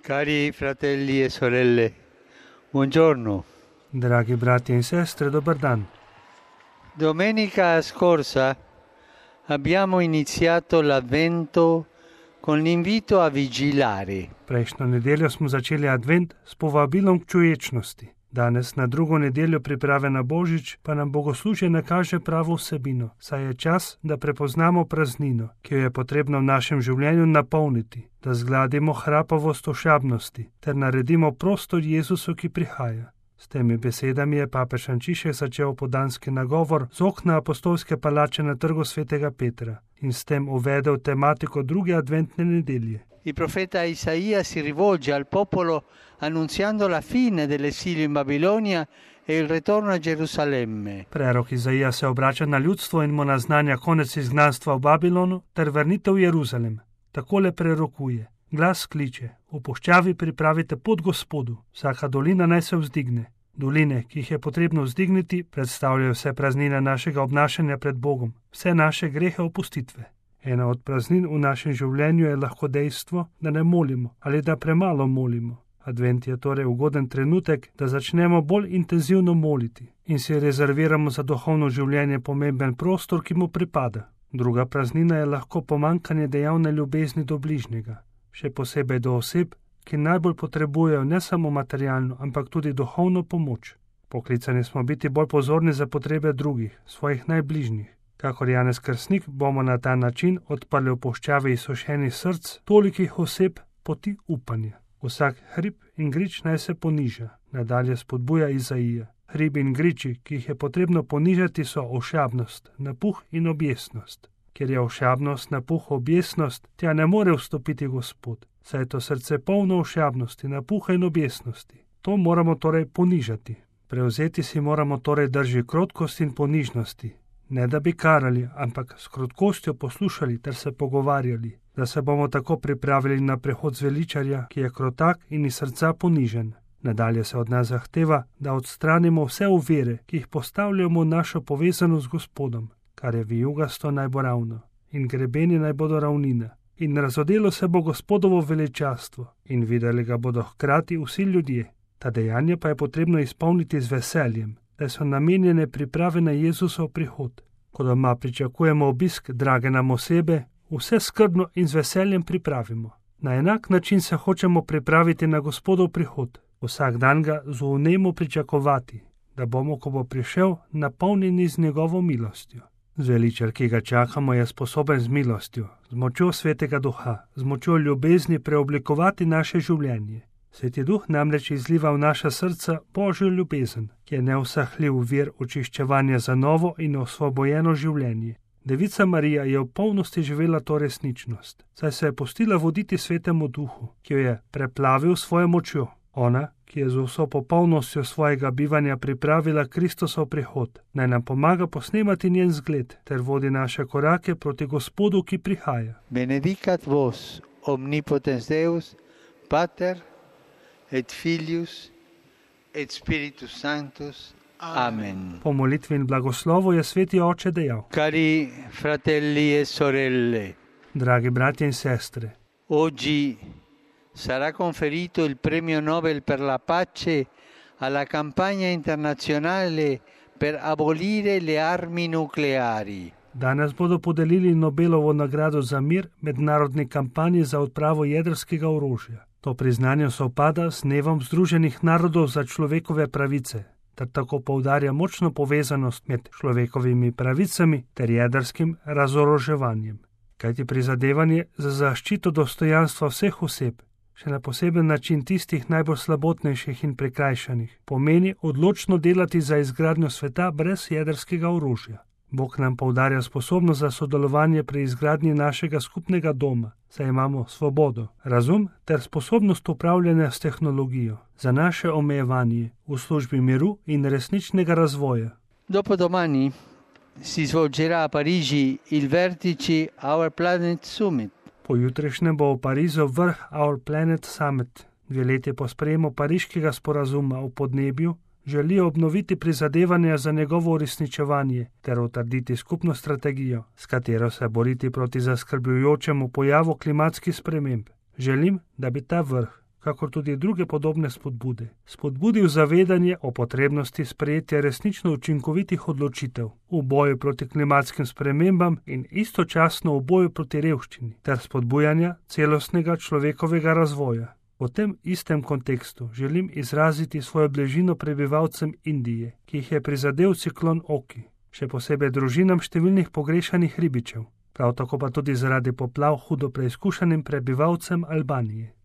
Cari fratelli e sorelle, buongiorno. Dragi brati in sestre, dobar dan. Domenica scorsa abbiamo iniziato l'Avvento con l'invito a vigilare. Prejšnjo nedeljo smo začeli advent s povabilom k čuječnosti. Danes na drugo nedeljo priprave na Božič pa nam bogoslužje nakaže pravo vsebino, saj je čas, da prepoznamo praznino, ki jo je potrebno v našem življenju napolniti, da zgladimo hrapavost ošabnosti ter naredimo prostor Jezusu, ki prihaja. S temi besedami je papež Frančišek začel opoldanski nagovor z okna apostolske palače na trgu svetega Petra in s tem uvedel tematiko druge adventne nedelje. Il profeta Isaia si rivolge al popolo annunziando la fine dell'esilio in Babilonia e il ritorno a Gerusalemme. Prerok Izaija se obrača na ljudstvo in mu naznanja konec izgnanstva v Babilonu ter vrnitev v Jeruzalem. Takole prerokuje. Glas kliče, v puščavi pripravite pot Gospodu, vsaka dolina naj se vzdigne. Doline, ki jih je potrebno vzdigniti, predstavljajo vse praznine našega obnašanja pred Bogom, vse naše grehe opustitve. Ena od praznin v našem življenju je lahko dejstvo, da ne molimo ali da premalo molimo. Advent je torej ugoden trenutek, da začnemo bolj intenzivno moliti in si rezerviramo za duhovno življenje pomemben prostor, ki mu pripada. Druga praznina je lahko pomanjkanje dejavne ljubezni do bližnjega, še posebej do oseb, ki najbolj potrebujejo ne samo materialno, ampak tudi duhovno pomoč. Poklicani smo biti bolj pozorni za potrebe drugih, svojih najbližnjih. Kakor Janez Krstnik bomo na ta način odprli v puščavi izsušenih src tolikih oseb poti upanja. Vsak hrib in grič naj se poniža, nadalje spodbuja Izaija. Hribi in griči, ki jih je potrebno ponižati, so ošabnost, napuh in objesnost. Ker je ošabnost, napuh, objesnost, tja ne more vstopiti Gospod, saj je to srce polno ošabnosti, napuha in objesnosti. To moramo torej ponižati. Prevzeti si moramo torej drži krotkosti in ponižnosti. Ne da bi karali, ampak s krotkostjo poslušali ter se pogovarjali, da se bomo tako pripravili na prehod zveličarja, ki je krotak in iz srca ponižen. Nadalje se od nas zahteva, da odstranimo vse ovire, ki jih postavljamo v našo povezanost z Gospodom, kar je vijugasto naj bo ravno, in grebeni naj bodo ravnina. In razodelo se bo Gospodovo veličastvo, in videli ga bodo hkrati vsi ljudje. Ta dejanja pa je potrebno izpolniti z veseljem, da so namenjene priprave na Jezusov prihod. Ko doma pričakujemo obisk drage nam osebe, vse skrbno in z veseljem pripravimo. Na enak način se hočemo pripraviti na Gospodov prihod. Vsak dan ga z vnemo pričakovati, da bomo, ko bo prišel, napolnjeni z njegovo milostjo. Zveličar, ki ga čakamo, je sposoben z milostjo, z močjo Svetega Duha, z močjo ljubezni preoblikovati naše življenje. Sveti Duh namreč izliva v naša srca Božjo ljubezen, ki je neusahljiv vir očiščevanja za novo in osvobojeno življenje. Devica Marija je v polnosti živela to resničnost, saj se je pustila voditi Svetemu Duhu, ki jo je preplavil svojo močjo. Ona, ki je z vso popolnostjo svojega bivanja pripravila Kristusov prihod, naj nam pomaga posnemati njen zgled ter vodi naše korake proti Gospodu, ki prihaja. Benedicat vos, omnipotens Deus, Pater et Filius et Spiritus Sanctus. Amen. Po molitvi in blagoslovu je Sveti Oče dejal: Cari fratelli e sorelle, dragi bratje in sestre, oggi sarà conferito il premio Nobel per la pace alla campagna internazionale per abolire le armi nucleari. Danes bodo podelili Nobelovo nagrado za mir mednarodni kampanji za odpravo jedrskega orožja. To priznanje sovpada s dnevom Združenih narodov za človekove pravice, ter tako poudarja močno povezanost med človekovimi pravicami ter jedrskim razoroževanjem. Kajti prizadevanje za zaščito dostojanstva vseh oseb, še na poseben način tistih najbolj slabotnejših in prikrajšanih, pomeni odločno delati za izgradnjo sveta brez jedrskega orožja. Bog nam poudarja sposobnost za sodelovanje pri izgradnji našega skupnega doma, saj imamo svobodo, razum ter sposobnost upravljanja s tehnologijo za naše omejevanje v službi miru in resničnega razvoja. Dopodomani si svolgerà a Parigi il vertice Our Planet Summit. Pojutrišnjem bo v Parizu vrh Our Planet Summit. 2 leti po sprejemu pariškega sporazuma o podnebju želijo obnoviti prizadevanja za njegovo uresničevanje ter utrditi skupno strategijo, s katero se boriti proti zaskrbljujočemu pojavu klimatskih sprememb. Želim, da bi ta vrh, kakor tudi druge podobne spodbude, spodbudil zavedanje o potrebnosti sprejetja resnično učinkovitih odločitev v boju proti klimatskim spremembam in istočasno v boju proti revščini ter spodbujanja celostnega človekovega razvoja. V tem istem kontekstu želim izraziti svojo bližino prebivalcem Indije, ki jih je prizadel ciklon Oki, še posebej družinam številnih pogrešanih ribičev, prav tako pa tudi zaradi poplav hudo preizkušenim prebivalcem Albanije.